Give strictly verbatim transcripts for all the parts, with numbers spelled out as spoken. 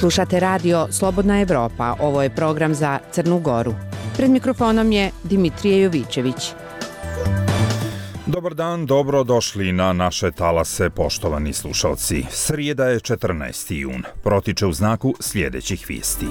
Slušate radio Slobodna Evropa, ovo je program za Crnu Goru. Pred mikrofonom je Dimitrije Jovićević. Dobar dan, dobro došli na naše talase, poštovani slušalci. Srijeda je četrnaesti jun, protiče u znaku sljedećih vijesti.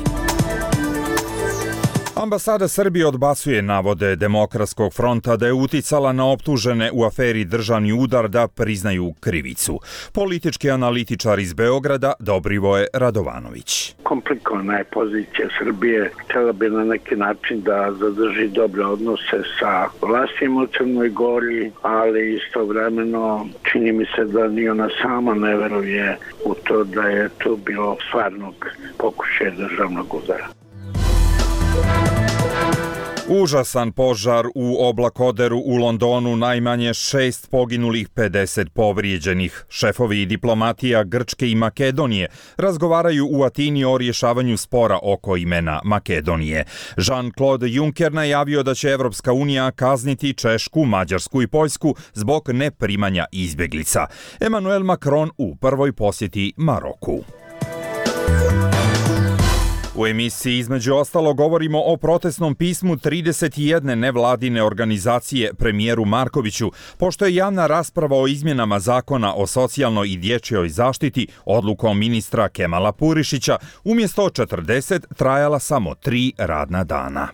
Ambasada Srbije odbacuje navode Demokratskog fronta da je uticala na optužene u aferi Državni udar da priznaju krivicu. Politički analitičar iz Beograda Dobrivoje Radovanović. Komplikovana je pozicija Srbije. Htjela bi na neki način da zadrži dobre odnose sa vlastima u Crnoj Gori, ali istovremeno čini mi se da ni ona sama ne veruje u to da je to bilo stvarnog pokušaja državnog udara. Užasan požar u oblakoderu u Londonu, najmanje šest poginulih, pedeset povrijeđenih. Šefovi diplomatija Grčke i Makedonije razgovaraju u Atini o rješavanju spora oko imena Makedonije. Jean-Claude Juncker najavio da će Evropska unija kazniti Češku, Mađarsku i Poljsku zbog neprimanja izbjeglica. Emmanuel Macron u prvoj posjeti Maroku. U emisiji između ostalo govorimo o protestnom pismu trideset jedne nevladine organizacije premijeru Markoviću, pošto je javna rasprava o izmjenama zakona o socijalnoj i dječjoj zaštiti odlukom ministra Kemala Purišića umjesto četrdeset trajala samo tri radna dana.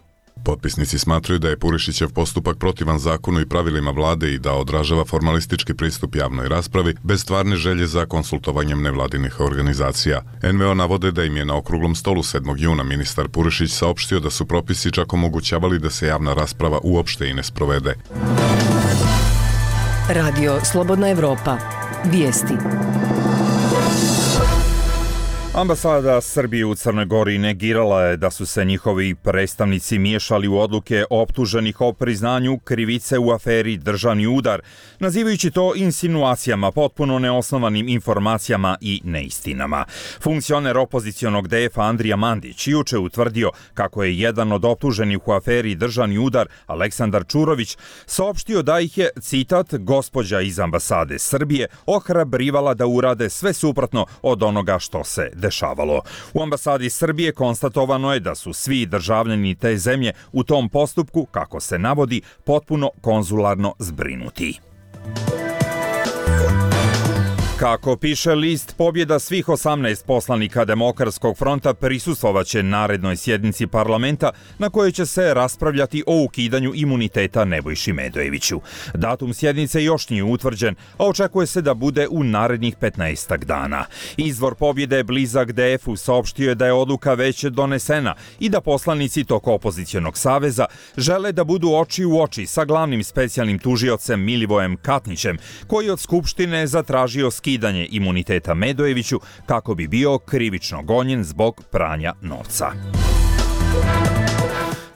Potpisnici smatraju da je Purišićev postupak protivan zakonu i pravilima vlade i da odražava formalistički pristup javnoj raspravi bez stvarne želje za konsultovanjem nevladinih organizacija. en ve o navode da im je na okruglom stolu sedmog juna ministar Purišić saopštio da su propisi čak omogućavali da se javna rasprava uopšte i ne sprovede. Radio Slobodna Evropa. Vijesti. Ambasada Srbije u Crnoj Gori negirala je da su se njihovi predstavnici miješali u odluke optuženih o priznanju krivice u aferi Državni udar, nazivajući to insinuacijama, potpuno neosnovanim informacijama i neistinama. Funkcioner opozicionog de efa Andrija Mandić juče utvrdio kako je jedan od optuženih u aferi Državni udar, Aleksandar Čurović, saopštio da ih je, citat, gospođa iz ambasade Srbije ohrabrivala da urade sve suprotno od onoga što se dešavalo. U ambasadi Srbije konstatovano je da su svi državljani te zemlje u tom postupku, kako se navodi, potpuno konzularno zbrinuti. Kako piše list, pobjeda svih osamnaest poslanika Demokratskog fronta prisustvovaće narednoj sjednici parlamenta na kojoj će se raspravljati o ukidanju imuniteta Nebojši Medojeviću. Datum sjednice još nije utvrđen, a očekuje se da bude u narednih petnaestak dana. Izvor pobjede blizak de efu saopštio je da je odluka već donesena i da poslanici tog opozicionog saveza žele da budu oči u oči sa glavnim specijalnim tužiocem Milivojem Katnićem, koji od Skupštine zatražio skidanje skidanje imuniteta Medojeviću kako bi bio krivično gonjen zbog pranja novca.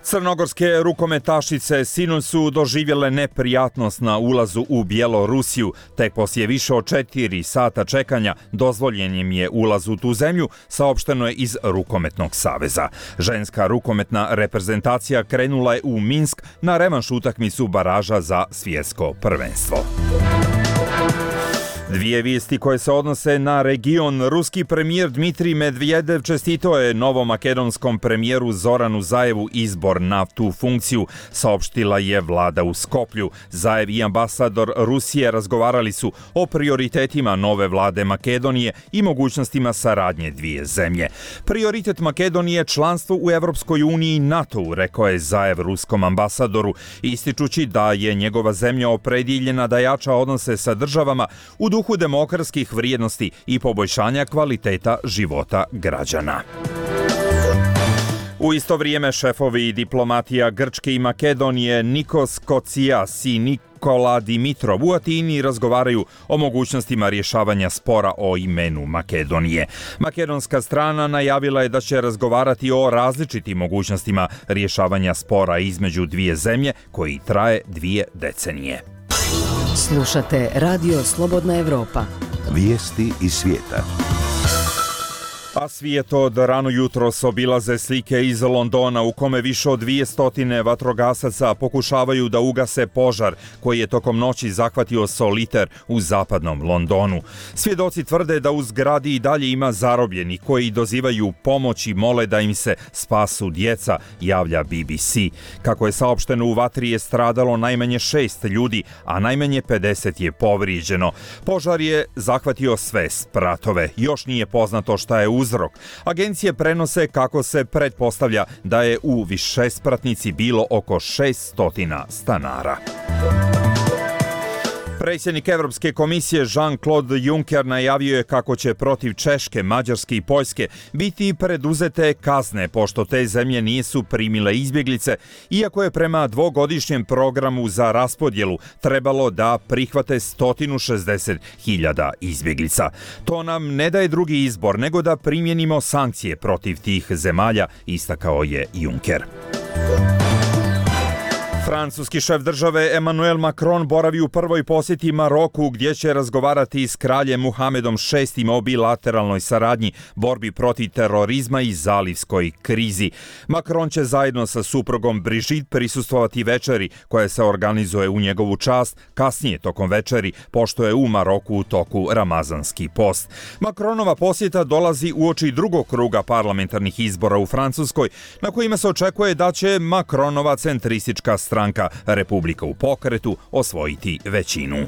Crnogorske rukometašice sinoć su doživjele neprijatnost na ulazu u Bjelorusiju. Tek poslije više od četiri sata čekanja dozvoljen im je ulaz u tu zemlju, saopšteno je iz Rukometnog saveza. Ženska rukometna reprezentacija krenula je u Minsk na revanš utakmicu baraža za svjetsko prvenstvo. Dvije vijesti koje se odnose na region. Ruski premijer Dmitrij Medvedev čestitao je novomakedonskom premijeru Zoranu Zajevu izbor na tu funkciju, saopštila je vlada u Skoplju. Zajev i ambasador Rusije razgovarali su o prioritetima nove vlade Makedonije i mogućnostima saradnje dvije zemlje. Prioritet Makedonije je članstvo u Evropskoj uniji i NATO-u, rekao je Zajev ruskom ambasadoru, ističući da je njegova zemlja opredjeljena da jača odnose sa državama u duhu demokratskih vrijednosti i poboljšanja kvaliteta života građana. U isto vrijeme šefovi diplomatija Grčke i Makedonije Nikos Kocias i Nikola Dimitrov u Atini razgovaraju o mogućnostima rješavanja spora o imenu Makedonije. Makedonska strana najavila je da će razgovarati o različitim mogućnostima rješavanja spora između dvije zemlje koji traje dvije decenije. Slušate Radio Slobodna Evropa. Vijesti iz svijeta. A svijet od rano jutros obilaze slike iz Londona u kome više od dvjesto vatrogasaca pokušavaju da ugase požar koji je tokom noći zahvatio Soliter u zapadnom Londonu. Svjedoci tvrde da u zgradi i dalje ima zarobljenih koji dozivaju pomoć i mole da im se spasu djeca, javlja B B C. Kako je saopšteno, u vatri je stradalo najmanje šest ljudi, a najmanje pedeset je povrijeđeno. Požar je zahvatio sve spratove. Još nije poznato šta je uzrok. Agencije prenose kako se pretpostavlja da je u višespratnici bilo oko šesto stanara. Predsjednik Evropske komisije Jean-Claude Juncker najavio je kako će protiv Češke, Mađarske i Poljske biti preduzete kazne pošto te zemlje nisu primile izbjeglice, iako je prema dvogodišnjem programu za raspodjelu trebalo da prihvate sto šezdeset hiljada izbjeglica. To nam ne daje drugi izbor nego da primjenimo sankcije protiv tih zemalja, istakao je Juncker. Francuski šef države Emmanuel Macron boravi u prvoj posjeti Maroku gdje će razgovarati s kraljem Muhamedom šestim o bilateralnoj saradnji, borbi protiv terorizma i zalivskoj krizi. Macron će zajedno sa suprugom Brigitte prisustvovati večeri koja se organizuje u njegovu čast kasnije tokom večeri, pošto je u Maroku u toku ramazanski post. Macronova posjeta dolazi uoči drugog kruga parlamentarnih izbora u Francuskoj, na kojima se očekuje da će Macronova centristička stranka Republika u pokretu osvojiti većinu.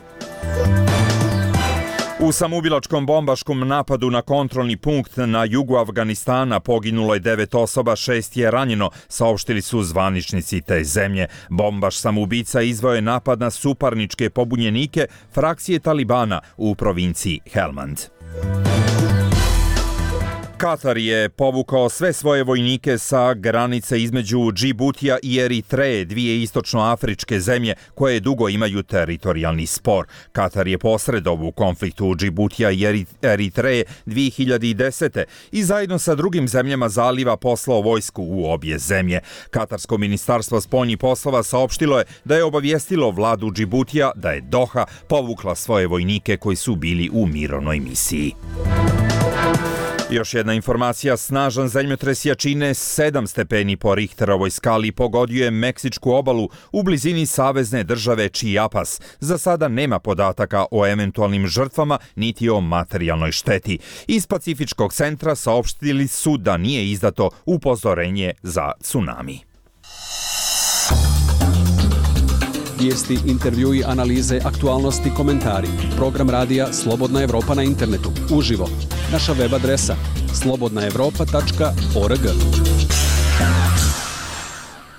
U samoubilačkom bombaškom napadu na kontrolni punkt na jugu Afganistana poginulo je devet osoba, šest je ranjeno, saopštili su zvaničnici te zemlje. Bombaš samoubica izveo je napad na suparničke pobunjenike frakcije Talibana u provinciji Helmand. Katar je povukao sve svoje vojnike sa granice između Džibutija i Eritreje, dvije istočnoafričke zemlje koje dugo imaju teritorijalni spor. Katar je posredovao u konfliktu Džibutija i Eritreje dvije hiljade desete. i zajedno sa drugim zemljama zaliva poslao vojsku u obje zemlje. Katarsko ministarstvo spoljnih poslova saopštilo je da je obavijestilo vladu Džibutija da je Doha povukla svoje vojnike koji su bili u mirovnoj misiji. Još jedna informacija, snažan zemljotres jačine sedam stepeni po Richterovoj skali pogodio je Meksičku obalu u blizini savezne države Chiapas. Za sada nema podataka o eventualnim žrtvama niti o materijalnoj šteti. Iz Pacifičkog centra saopštili su da nije izdato upozorenje za tsunami. Vijesti, intervjui, analize, aktualnosti, komentari. Program radija Slobodna Evropa na internetu. Uživo. Naša web adresa slobodna evropa tačka org.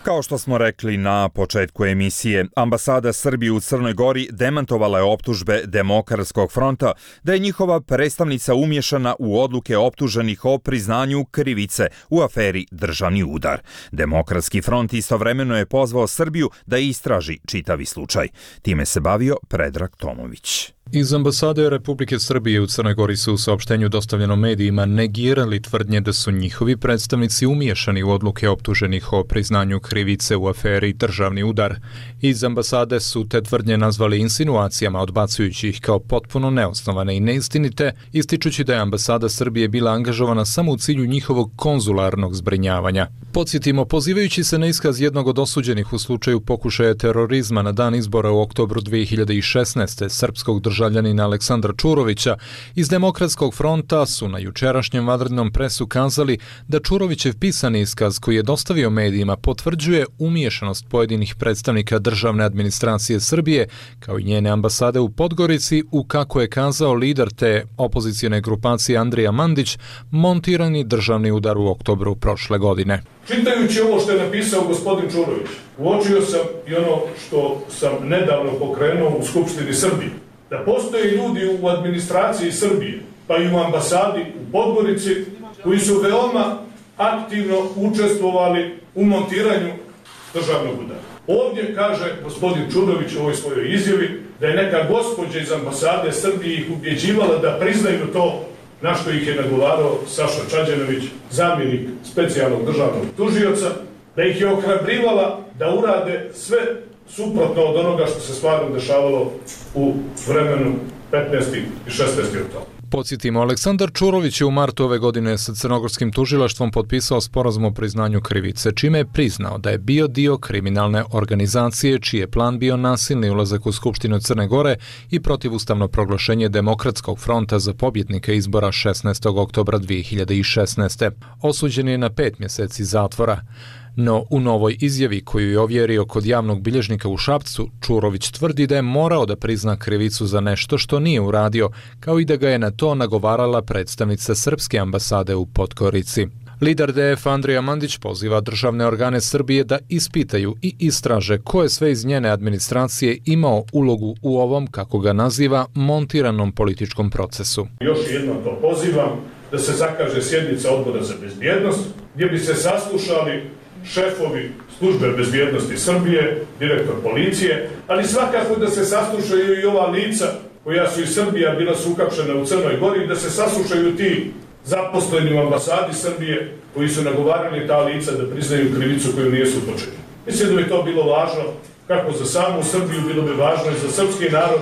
Kao što smo rekli na početku emisije, ambasada Srbije u Crnoj Gori demantovala je optužbe Demokratskog fronta da je njihova predstavnica umješana u odluke optuženih o priznanju krivice u aferi Državni udar. Demokratski front istovremeno je pozvao Srbiju da istraži čitavi slučaj. Time se bavio Predrag Tomović. Iz ambasade Republike Srbije u Crnoj Gori su u saopštenju dostavljenom medijima negirali tvrdnje da su njihovi predstavnici umiješani u odluke optuženih o priznanju krivice u aferi Državni udar. Iz ambasade su te tvrdnje nazvali insinuacijama, odbacujući ih kao potpuno neosnovane i neistinite, ističući da je ambasada Srbije bila angažovana samo u cilju njihovog konzularnog zbrinjavanja. Podsjetimo, pozivajući se na iskaz jednog od osuđenih u slučaju pokušaja terorizma na dan izbora u oktobru dvije hiljade šesnaeste. srpskog državljanina Aleksandra Čurovića, iz Demokratskog fronta su na jučerašnjem vanrednom presu kazali da Čurovićev pisani iskaz koji je dostavio medijima potvrđuje umiješanost pojedinih predstavnika državne administracije Srbije, kao i njene ambasade u Podgorici, u, kako je kazao lider te opozicijne grupacije Andrija Mandić, montirani državni udar u oktobru prošle godine. Čitajući ovo što je napisao gospodin Čurović, uočio sam i ono što sam nedavno pokrenuo u Skupštini Srbije, da postoje ljudi u administraciji Srbije, pa i u ambasadi u Podgorici, koji su veoma aktivno učestvovali u montiranju državnog udara. Ovdje kaže gospodin Čurović u ovoj svojoj izjavi da je neka gospođa iz ambasade Srbije ih ubjeđivala da priznaju to, na što ih je nagovarao Saša Čađanović, zamjenik specijalnog državnog tužioca, da ih je ohrabrivala da urade sve suprotno od onoga što se stvarno dešavalo u vremenu petnaesti i šesnaesti oktobra. Podsjetimo, Aleksandar Čurović je u martu ove godine sa crnogorskim tužilaštvom potpisao sporazum o priznanju krivice, čime je priznao da je bio dio kriminalne organizacije čiji je plan bio nasilni ulazak u Skupštinu Crne Gore i protivustavno proglašenje Demokratskog fronta za pobjednike izbora šesnaestog oktobra dvije hiljade šesnaeste. Osuđen je na pet mjeseci zatvora. No, u novoj izjavi koju je ovjerio kod javnog bilježnika u Šapcu, Čurović tvrdi da je morao da prizna krivicu za nešto što nije uradio, kao i da ga je na to nagovarala predstavnica srpske ambasade u Podgorici. Lider D F Andrija Mandić poziva državne organe Srbije da ispitaju i istraže ko je sve iz njene administracije imao ulogu u ovom, kako ga naziva, montiranom političkom procesu. Još jednom to pozivam da se zakaže sjednica Odbora za bezbjednost, gdje bi se saslušali šefovi službe bezbjednosti Srbije, direktor policije, ali svakako da se saslušaju i ova lica koja su iz Srbije bila su uhapšena u Crnoj Gori, da se saslušaju ti zaposleni u ambasadi Srbije koji su nagovarali ta lica da priznaju krivicu koju nisu počeli. Mislim da bi to bilo važno kako za samu Srbiju, bilo bi važno i za srpski narod,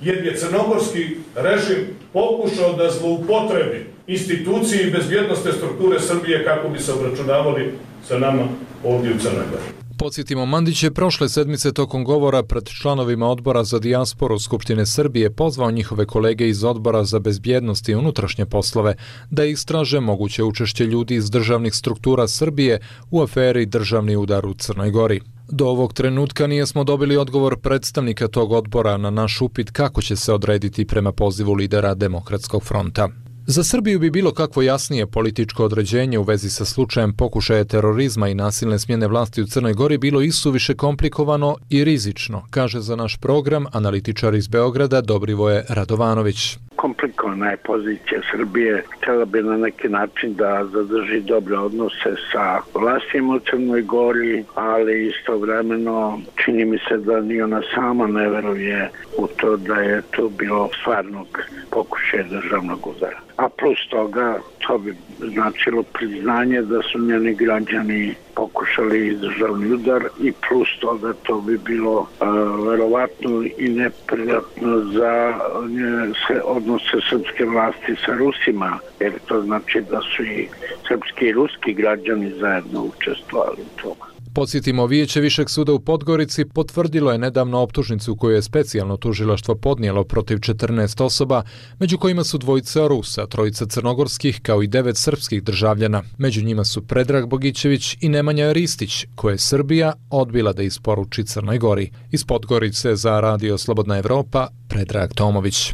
jer je crnogorski režim pokušao da zloupotrebi institucije i bezbjednostne strukture Srbije kako bi se obračunavali sa nama ovdje u Crnoj Gori. Podsjetimo, Mandić je prošle sedmice tokom govora pred članovima Odbora za dijasporu Skupštine Srbije pozvao njihove kolege iz Odbora za bezbjednost i unutrašnje poslove da istraže moguće učešće ljudi iz državnih struktura Srbije u aferi Državni udar u Crnoj Gori. Do ovog trenutka nijesmo dobili odgovor predstavnika tog odbora na naš upit kako će se odrediti prema pozivu lidera Demokratskog fronta. Za Srbiju bi bilo kakvo jasnije političko određenje u vezi sa slučajem pokušaja terorizma i nasilne smjene vlasti u Crnoj Gori bilo isuviše komplikovano i rizično, kaže za naš program analitičar iz Beograda Dobrivoje Radovanović. Komplikovana je pozicija Srbije. Htjela bi na neki način da zadrži dobre odnose sa vlastima u Crnoj Gori, ali istovremeno čini mi se da ni ona sama ne veruje u to da je to bilo stvarnog pokušaja državnog udara. A plus toga, to bi značilo priznanje da su njeni građani pokušali državni udar i plus toga to bi bilo uh, verovatno i neprijatno za uh, odnose srpske vlasti sa Rusima, jer to znači da su i srpski i ruski građani zajedno učestvovali u tome. Podsjetimo, Vijeće Višeg suda u Podgorici potvrdilo je nedavno optužnicu koju je specijalno tužilaštvo podnijelo protiv četrnaest osoba, među kojima su dvojica Rusa, trojica crnogorskih kao i devet srpskih državljana. Među njima su Predrag Bogićević i Nemanja Ristić, koje je Srbija odbila da isporuči Crnoj Gori. Iz Podgorice za Radio Slobodna Evropa, Predrag Tomović.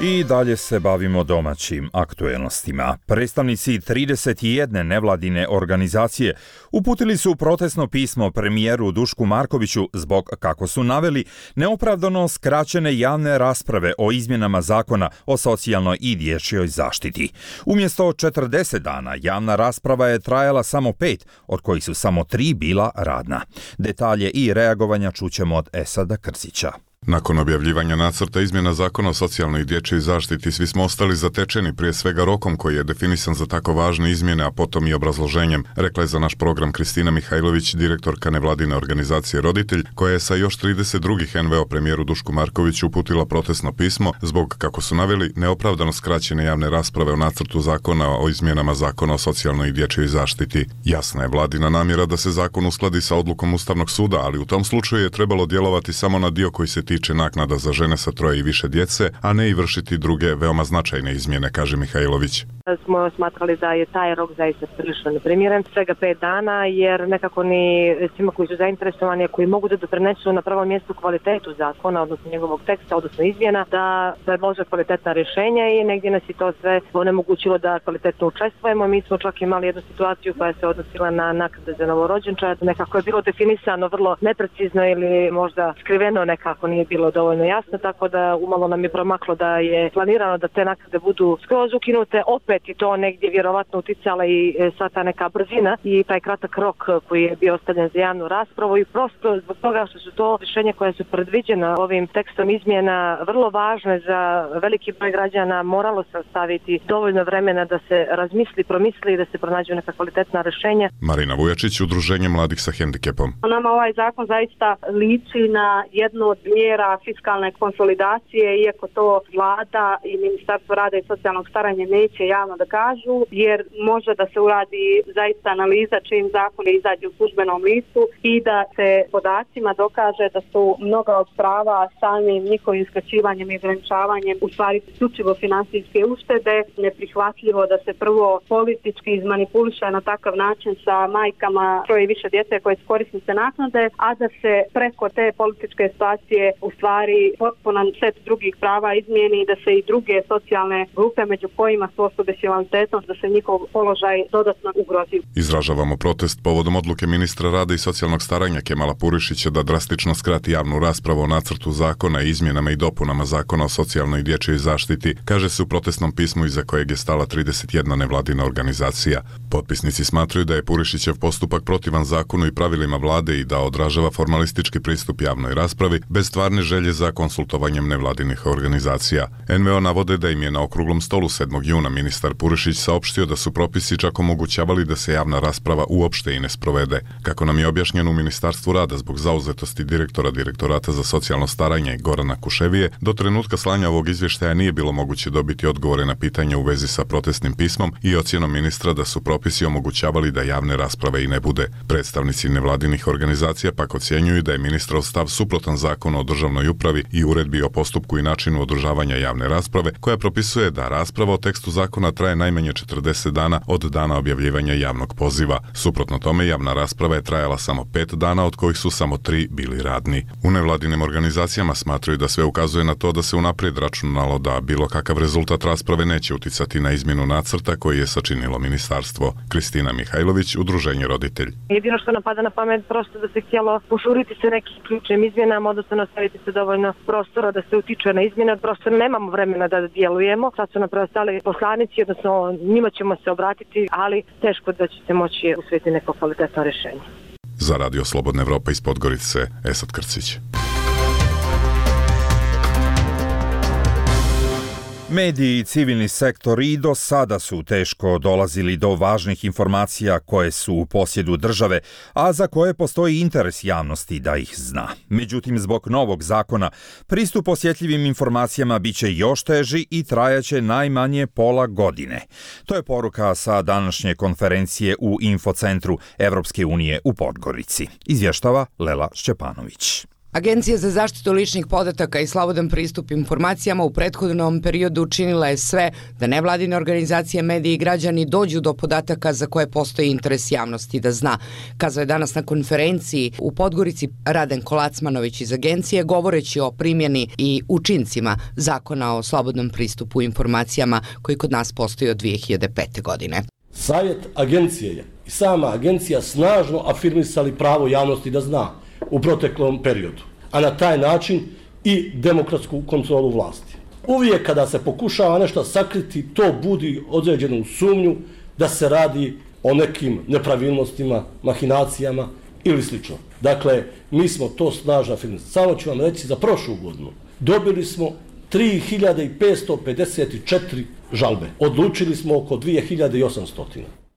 I dalje se bavimo domaćim aktuelnostima. Predstavnici trideset jedne nevladine organizacije uputili su protestno pismo premijeru Dušku Markoviću zbog, kako su naveli, neopravdano skraćene javne rasprave o izmjenama zakona o socijalnoj i dječjoj zaštiti. Umjesto četrdeset dana, javna rasprava je trajala samo pet, od kojih su samo tri bila radna. Detalje i reagovanja čućemo od Esada Krzića. Nakon objavljivanja nacrta izmjena zakona o socijalnoj i dječjoj zaštiti, svi smo ostali zatečeni, prije svega rokom koji je definisan za tako važne izmjene, a potom i obrazloženjem, rekla je za naš program Kristina Mihajlović, direktorka nevladine organizacije Roditelj, koja je sa još trideset drugih en ve o premijeru Dušku Markoviću uputila protestno pismo zbog, kako su naveli, neopravdano skraćene javne rasprave o nacrtu zakona o izmjenama zakona o socijalnoj i dječjoj zaštiti. Jasna je vladina namjera da se zakon uskladi sa odlukom Ustavnog suda, ali u tom slučaju je trebalo djelovati samo na dio koji se tiče naknada za žene sa troje i više djece, a ne i vršiti druge veoma značajne izmjene, kaže Mihajlović. Smo smatrali da je taj rok zaista prilično neprimjeren, svega pet dana, jer nekako ni svima koji su zainteresovani, koji mogu da doprinesu na prvom mjestu kvalitetu zakona, odnosno njegovog teksta, odnosno izmjena, da predlože kvalitetna rješenja i negdje nas je to sve onemogućilo da kvalitetno učestvujemo. Mi smo čak imali jednu situaciju koja se odnosila na naknade za novorođenčad. Nekako je bilo definisano vrlo neprecizno ili možda skriveno, nekako nije bilo dovoljno jasno, tako da umalo nam je promaklo da je planirano da te naknade budu skroz ukinute, opet i to negdje vjerovatno uticala i sva ta neka brzina i taj kratak rok koji je bio ostavljen za javnu raspravu i prosto zbog toga što su to rješenja koja su predviđena ovim tekstom izmjena vrlo važne za veliki broj građana, moralo se ostaviti dovoljno vremena da se razmisli, promisli i da se pronađu neka kvalitetna rješenja. Marina Vujačić, Udruženje mladih sa hendikepom. Nama ovaj zakon zaista liči na jednu od mjera mjera fiskalne konsolidacije, iako to vlada i Ministarstvo rada i socijalnog staranja neće javno da kažu, jer može da se uradi zaista analiza čim zakon izađe u službenom listu i da se podacima dokaže da su mnoga od prava samim njihovim skraćivanjem i ograničavanjem u stvari isključivo finansijske uštede. Neprihvatljivo da se prvo politički izmanipuliše na takav način sa majkama troje i više djece koje su korisnice naknade, a da se preko te političke situacije u stvari potpuno set drugih prava izmijeni i da se i druge socijalne grupe, među kojima su osobe s invaliditetom, da se njihov položaj dodatno ugrozi. Izražavamo protest povodom odluke ministra rada i socijalnog staranja Kemala Purišića da drastično skrati javnu raspravu o nacrtu zakona i izmjenama i dopunama zakona o socijalnoj i dječjoj zaštiti, kaže se u protestnom pismu iza kojeg je stala trideset jedna nevladina organizacija. Potpisnici smatraju da je Purišićev postupak protivan zakonu i pravilima vlade i da odražava formalistički pristup javnoj raspravi bez stvarne želje za konsultovanjem nevladinih organizacija. en ve o navode da im je na okruglom stolu sedmog juna ministar Purišić saopštio da su propisi čak omogućavali da se javna rasprava uopšte i ne sprovede. Kako nam je objašnjeno u Ministarstvu rada zbog zauzetosti direktora Direktorata za socijalno staranje Gorana Kuševije, do trenutka slanja ovog izvještaja nije bilo moguće dobiti odgovore na pitanje u vezi sa protestnim pismom i ocjenom ministra da su propisi omogućavali da javne rasprave i ne bude. Predstavnici nevladinih organizacija pak ocjenjuju da je ministrov stav suprotan zakonu o državnoj upravi i uredbi o postupku i načinu održavanja javne rasprave, koja propisuje da rasprava o tekstu zakona traje najmanje četrdeset dana od dana objavljivanja javnog poziva. Suprotno tome, javna rasprava je trajala samo pet dana, od kojih su samo tri bili radni. U nevladinim organizacijama smatraju da sve ukazuje na to da se unaprijed računalo da bilo kakav rezultat rasprave neće uticati na izmjenu nacrta koji je sačinilo ministarstvo. Kristina Mihajlović, Udruženje Roditelj. Jedino što nam pada na pamet prosto da se htjelo požuriti se nekim ključnim izmjenama, odnosno nastaviti se dovoljno prostora da se utiče na izmjene, prosto nemamo vremena da djelujemo. Sad su nam preostali poslanici, odnosno njima ćemo se obratiti, ali teško da će se moći usvojiti neko kvalitetno rješenje. Za Radio Slobodna Evropa iz Podgorice, Esad Krcić. Mediji i civilni sektor i do sada su teško dolazili do važnih informacija koje su u posjedu države, a za koje postoji interes javnosti da ih zna. Međutim, zbog novog zakona, pristup osjetljivim informacijama biće još teži i trajaće najmanje pola godine. To je poruka sa današnje konferencije u Infocentru Evropske unije u Podgorici. Izvještava Lela Šćepanović. Agencija za zaštitu ličnih podataka i slobodan pristup informacijama u prethodnom periodu učinila je sve da nevladine organizacije, mediji i građani dođu do podataka za koje postoji interes javnosti da zna. Kazao je danas na konferenciji u Podgorici Raden Kolacmanović iz agencije, govoreći o primjeni i učincima zakona o slobodnom pristupu informacijama koji kod nas postoji od dvije hiljade pete. godine. Savjet agencije je i sama agencija snažno afirmisali pravo javnosti da zna u proteklom periodu, a na taj način i demokratsku kontrolu vlasti. Uvijek kada se pokušava nešto sakriti, to budi određenu sumnju da se radi o nekim nepravilnostima, mahinacijama ili slično. Dakle, mi smo to snažno afirmisali. Samo ću vam reći, za prošlu godinu dobili smo tri hiljade petsto pedeset četiri žalbe. Odlučili smo oko dvije hiljade osamsto.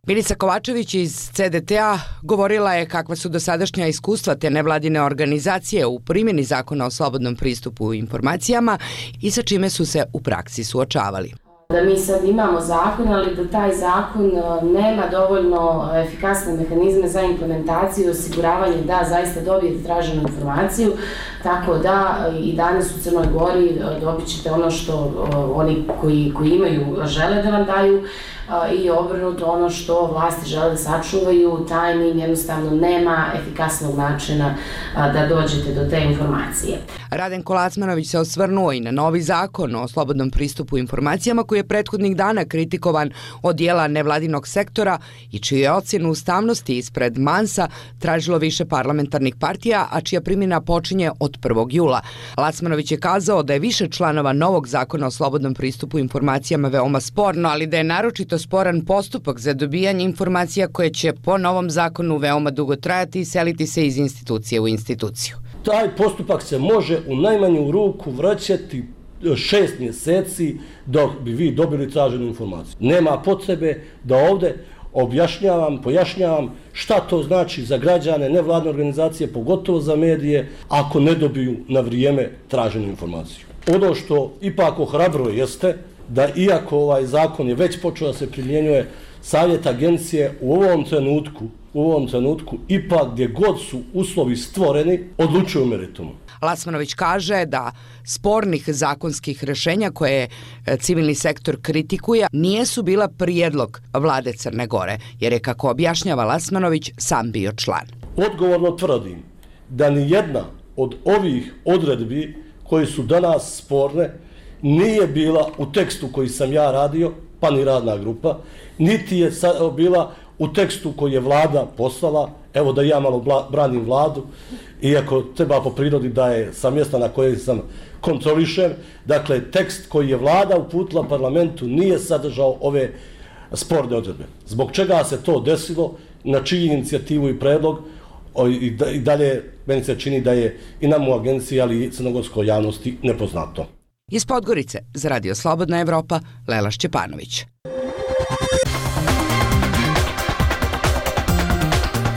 Milica Kovačević iz ce de te-a govorila je kakva su dosadašnja iskustva te nevladine organizacije u primjeni zakona o slobodnom pristupu informacijama i sa čime su se u praksi suočavali. Da mi sad imamo zakon, ali da taj zakon nema dovoljno efikasne mehanizme za implementaciju i osiguravanje da zaista dobijete traženu informaciju, tako da i danas u Crnoj Gori dobit ćete ono što oni koji, koji imaju žele da vam daju i obrnuto ono što vlasti žele da sačuvaju, tajnim jednostavno nema efikasnog načina da dođete do te informacije. Raden Kolacmanović se osvrnuo i na novi zakon o slobodnom pristupu informacijama koji je prethodnih dana kritikovan od dijela nevladinog sektora i čiju je ocjenu ustavnosti ispred Mansa tražilo više parlamentarnih partija, a čija primjena počinje od prvog jula. Lacmanović je kazao da je više članova novog zakona o slobodnom pristupu informacijama veoma sporno, ali da je naročito sporan postupak za dobijanje informacija koje će po novom zakonu veoma dugo trajati i seliti se iz institucije u instituciju. Taj postupak se može u najmanju ruku vraćati šest mjeseci dok bi vi dobili traženu informaciju. Nema potrebe da ovdje objašnjavam, pojašnjavam šta to znači za građane, nevladne organizacije, pogotovo za medije, ako ne dobiju na vrijeme traženu informaciju. Ono što ipak ohrabruje jeste da iako ovaj zakon je već počeo da se primjenjuje, Savjet agencije u ovom trenutku, u ovom trenutku ipak gdje god su uslovi stvoreni, odlučuju meritumu. Lasmanović kaže da spornih zakonskih rješenja koje civilni sektor kritikuje nijesu bila prijedlog vlade Crne Gore, jer je, kako objašnjava Lasmanović, sam bio član. Odgovorno tvrdim da ni jedna od ovih odredbi koje su danas sporne nije bila u tekstu koji sam ja radio, pa ni radna grupa, niti je bila u tekstu koji je vlada poslala. Evo da ja malo branim vladu, iako treba po prirodi da je sa mjesta na koje sam kontrolišen. Dakle, tekst koji je vlada uputila parlamentu nije sadržao ove sporne odredbe. Zbog čega se to desilo, na čiju inicijativu i predlog, i dalje meni se čini da je i nam u agenciji, ali i crnogorskoj javnosti nepoznato. Iz Podgorice za Radio Slobodna Evropa, Lela Šćepanović.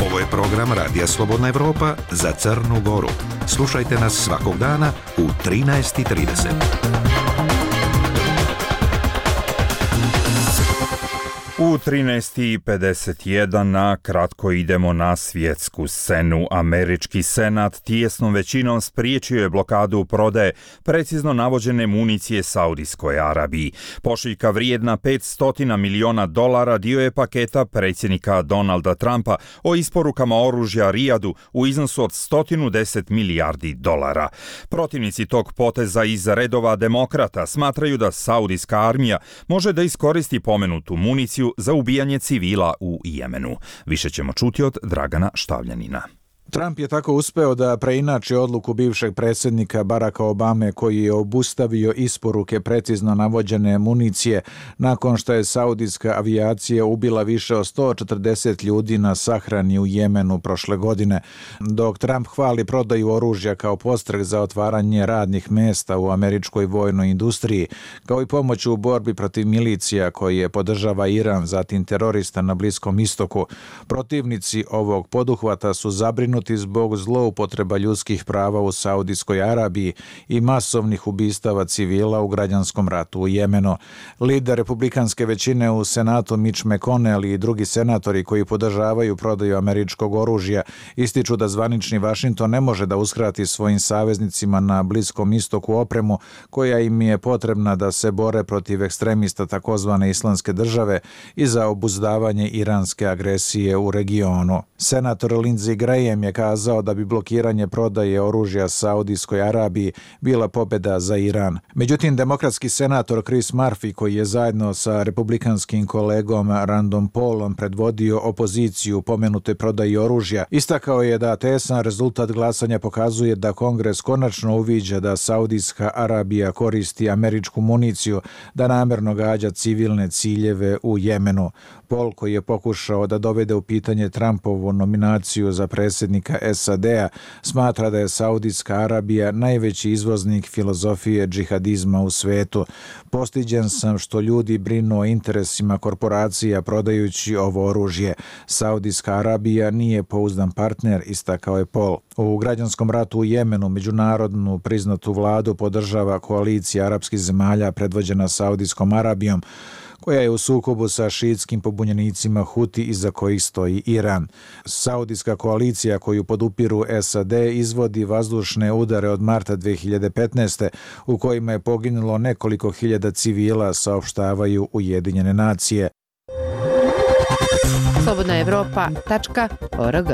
Ovo je program Radija Slobodna Evropa za Crnu Goru. Slušajte nas svakog dana u trinaest i trideset. U trinaest i pedeset jedan na kratko idemo na svjetsku scenu. Američki senat tijesnom većinom spriječio je blokadu prodaje precizno navođene municije Saudijskoj Arabiji. Pošiljka vrijedna petsto miliona dolara dio je paketa predsjednika Donalda Trumpa o isporukama oružja Rijadu u iznosu od sto deset milijardi dolara. Protivnici tog poteza iz redova demokrata smatraju da Saudijska armija može da iskoristi pomenutu municiju za ubijanje civila u Jemenu. Više ćemo čuti od Dragana Štavljanina. Trump je tako uspeo da preinači odluku bivšeg predsjednika Baracka Obame, koji je obustavio isporuke precizno navođene municije nakon što je saudijska avijacija ubila više od sto četrdeset ljudi na sahrani u Jemenu prošle godine. Dok Trump hvali prodaju oružja kao podstrek za otvaranje radnih mesta u američkoj vojnoj industriji, kao i pomoć u borbi protiv milicija koje podržava Iran, zatim terorista na Bliskom istoku, protivnici ovog poduhvata su zabrinuti zbog zloupotreba ljudskih prava u Saudijskoj Arabiji i masovnih ubistava civila u građanskom ratu u Jemenu. Lider republikanske većine u Senatu Mitch McConnell i drugi senatori koji podržavaju prodaju američkog oružja ističu da zvanični Vašington ne može da uskrati svojim saveznicima na Bliskom istoku opremu koja im je potrebna da se bore protiv ekstremista takozvane Islamske države i za obuzdavanje iranske agresije u regionu. Senator Lindsey Graham je kazao da bi blokiranje prodaje oružja Saudijskoj Arabiji bila pobjeda za Iran. Međutim, demokratski senator Chris Murphy, koji je zajedno sa republikanskim kolegom Random Paulom predvodio opoziciju pomenute prodaji oružja, istakao je da tesan rezultat glasanja pokazuje da Kongres konačno uviđa da Saudijska Arabija koristi američku municiju da namjerno gađa civilne ciljeve u Jemenu. Paul, koji je pokušao da dovede u pitanje Trumpovu nominaciju za predsjednika S A D-a, smatra da je Saudijska Arabija najveći izvoznik filozofije džihadizma u svetu. Postiđen sam što ljudi brinu o interesima korporacija prodajući ovo oružje. Saudijska Arabija nije pouzdan partner, istakao je Paul. U građanskom ratu u Jemenu međunarodnu priznatu vladu podržava koalicija arapskih zemalja predvođena Saudijskom Arabijom, koja je u sukobu sa šiitskim pobunjenicima Huti iza kojih stoji Iran. Saudijska koalicija koju podupiru S A D izvodi vazdušne udare od marta dve hiljade petnaeste u kojima je poginulo nekoliko hiljada civila, saopštavaju Ujedinjene nacije. slobodna evropa tačka org.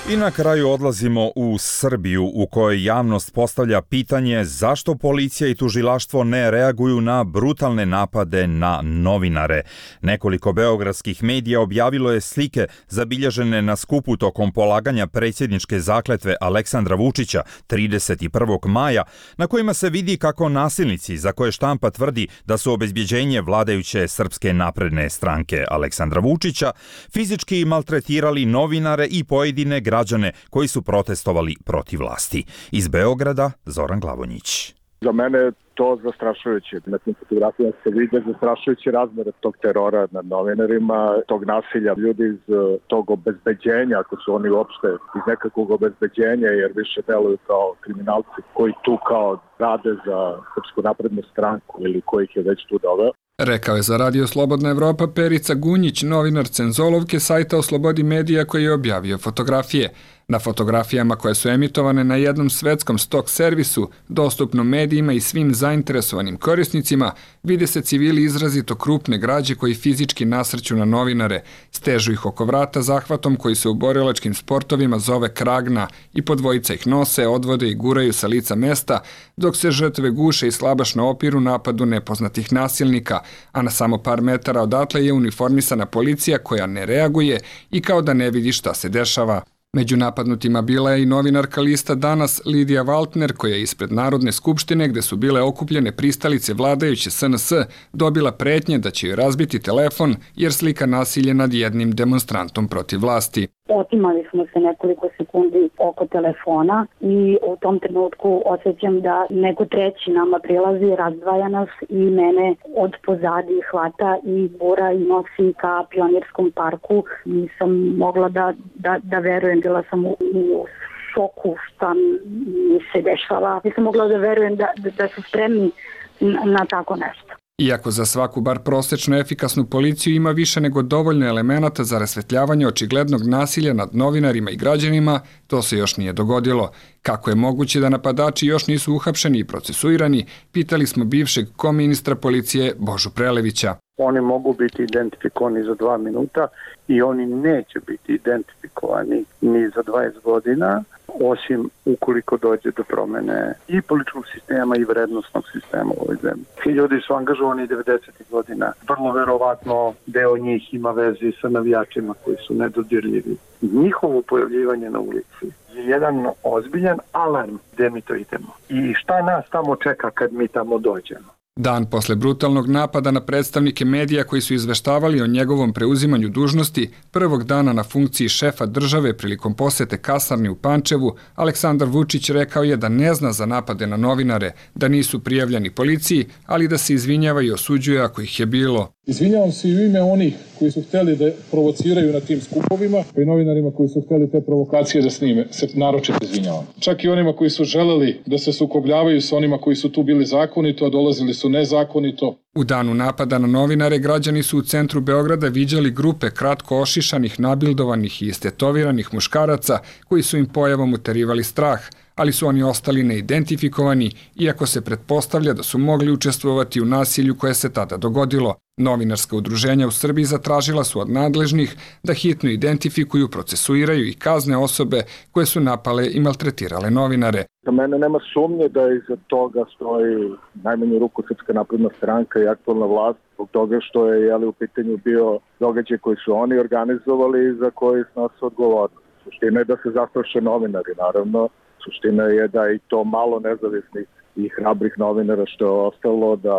I na kraju odlazimo u Srbiju, u kojoj javnost postavlja pitanje zašto policija i tužilaštvo ne reaguju na brutalne napade na novinare. Nekoliko beogradskih medija objavilo je slike zabilježene na skupu tokom polaganja predsjedničke zakletve Aleksandra Vučića trideset prvog maja, na kojima se vidi kako nasilnici, za koje štampa tvrdi da su obezbjeđenje vladajuće Srpske napredne stranke Aleksandra Vučića, fizički maltretirali novinare i pojedine građane građane koji su protestovali protiv vlasti. Iz Beograda, Zoran Glavonjić. Za mene je to zastrašujuće. Na tim fotografijama se vide zastrašujuće razmere tog terora nad novinarima, tog nasilja. Ljudi iz tog obezbeđenja, ako su oni uopšte iz nekakvog obezbeđenja, jer više deluju kao kriminalci koji tu kao rade za Srpsku naprednu stranku ili kojih je već tu doveo. Rekao je za Radio Slobodna Evropa Perica Gunjić, novinar Cenzolovke sajta o slobodi medija koji je objavio fotografije. Na fotografijama koje su emitovane na jednom svetskom stok servisu, dostupnom medijima i svim zainteresovanim korisnicima, vide se civili izrazito krupne građe koji fizički nasrću na novinare, stežu ih oko vrata zahvatom koji se u borilačkim sportovima zove kragna i po dvojica ih nose, odvode i guraju sa lica mesta, dok se žrtve guše i slabašno opiru napadu nepoznatih nasilnika, a na samo par metara odatle je uniformisana policija koja ne reaguje i kao da ne vidi šta se dešava. Među napadnutima bila je i novinarka lista Danas Lidija Valtner, koja je ispred Narodne skupštine, gde su bile okupljene pristalice vladajuće S N S, dobila pretnje da će joj razbiti telefon jer slika nasilje nad jednim demonstrantom protiv vlasti. Otimali smo se nekoliko sekundi oko telefona i u tom trenutku osjećam da neko treći nama prilazi, razdvaja nas i mene od pozadi hvata i bura i nosi ka Pionirskom parku. Nisam mogla da, da, da verujem, bila sam u, u šoku šta mi se dešava. Nisam mogla da verujem da, da, da su spremni na, na tako nešto. Iako za svaku bar prosečno efikasnu policiju ima više nego dovoljno elemenata za rasvetljavanje očiglednog nasilja nad novinarima i građanima, to se još nije dogodilo. Kako je moguće da napadači još nisu uhapšeni i procesuirani, pitali smo bivšeg koministra policije Božu Prelevića. Oni mogu biti identifikovani za dva minuta i oni neće biti identifikovani ni za dvadeset godina, osim ukoliko dođe do promene i političkog sistema i vrednostnog sistema u ovoj zemlji. Ti ljudi su angažovani devedesetih godina. Vrlo verovatno deo njih ima veze sa navijačima koji su nedodirljivi. Njihovo pojavljivanje na ulici je jedan ozbiljan alarm gde mi to idemo. I šta nas tamo čeka kad mi tamo dođemo? Dan posle brutalnog napada na predstavnike medija koji su izveštavali o njegovom preuzimanju dužnosti, prvog dana na funkciji šefa države prilikom posete kasarni u Pančevu, Aleksandar Vučić rekao je da ne zna za napade na novinare, da nisu prijavljeni policiji, ali da se izvinjava i osuđuje ako ih je bilo. Izvinjavam se i u ime onih koji su hteli da provociraju na tim skupovima i novinarima koji su hteli te provokacije da snime, se naročito izvinjavam. Čak i onima koji su želeli da se sukobljavaju sa onima koji su tu bili zakonito, a dolazili su nezakonito. U danu napada na novinare građani su u centru Beograda viđali grupe kratko ošišanih, nabildovanih i istetoviranih muškaraca koji su im pojavom uterivali strah, ali su oni ostali neidentifikovani, iako se pretpostavlja da su mogli učestvovati u nasilju koje se tada dogodilo. Novinarska udruženja u Srbiji zatražila su od nadležnih da hitno identifikuju, procesuiraju i kazne osobe koje su napale i maltretirale novinare. Za mene nema sumnje da iza toga stoji najmanju ruku Srpska napredna stranka i aktualna vlast, zbog toga što je jeli, u pitanju bio događaj koji su oni organizovali i za koji snose odgovornost. Suština je da se zastraše novinari, naravno. Suština je da i to malo nezavisnih i hrabrih novinara što je ostalo, da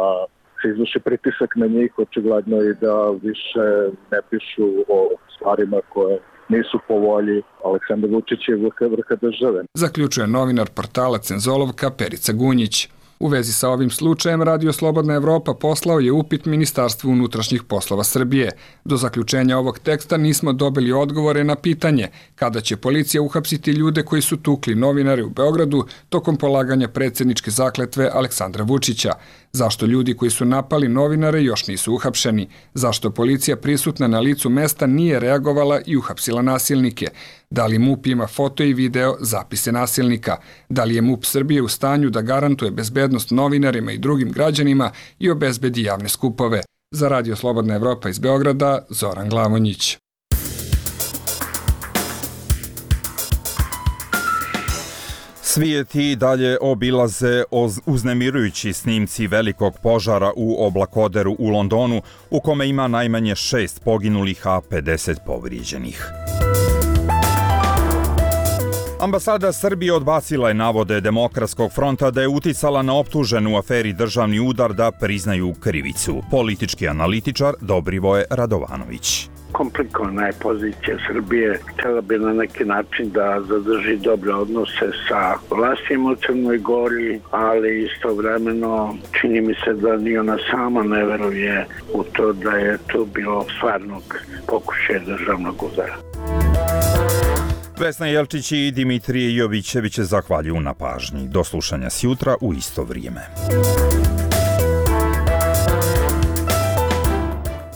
se izvrši pritisak na njih, očigledno i da više ne pišu o stvarima koje nisu po volji Aleksandra Vučića i vrha države. Zaključuje novinar portala Cenzolovka Perica Gunjić. U vezi sa ovim slučajem Radio Slobodna Evropa poslao je upit Ministarstvu unutrašnjih poslova Srbije. Do zaključenja ovog teksta nismo dobili odgovore na pitanje kada će policija uhapsiti ljude koji su tukli novinare u Beogradu tokom polaganja predsjedničke zakletve Aleksandra Vučića. Zašto ljudi koji su napali novinare još nisu uhapšeni? Zašto policija prisutna na licu mesta nije reagovala i uhapsila nasilnike? Da li MUP ima foto i video zapise nasilnika? Da li je MUP Srbije u stanju da garantuje bezbednost novinarima i drugim građanima i obezbedi javne skupove? Za Radio Slobodna Evropa iz Beograda, Zoran Glavonjić. Svijet i dalje obilaze uznemirujući snimci velikog požara u oblakoderu u Londonu, u kome ima najmanje šest poginulih, a pedeset povrijeđenih. Ambasada Srbije odbacila je navode Demokratskog fronta da je uticala na optuženu u aferi Državni udar da priznaju krivicu. Politički analitičar Dobrivoje Radovanović. komplikovana je pozicija Srbije. Htjela bi na neki način da zadrži dobre odnose sa vlastima u Crnoj Gori, ali istovremeno čini mi se da ni ona sama ne veruje u to da je to bilo stvarnog pokušaja državnog udara. Vesna Jelčić i Dimitrije Jovićević zahvaljuju na pažnji. Do slušanja sjutra u isto vrijeme.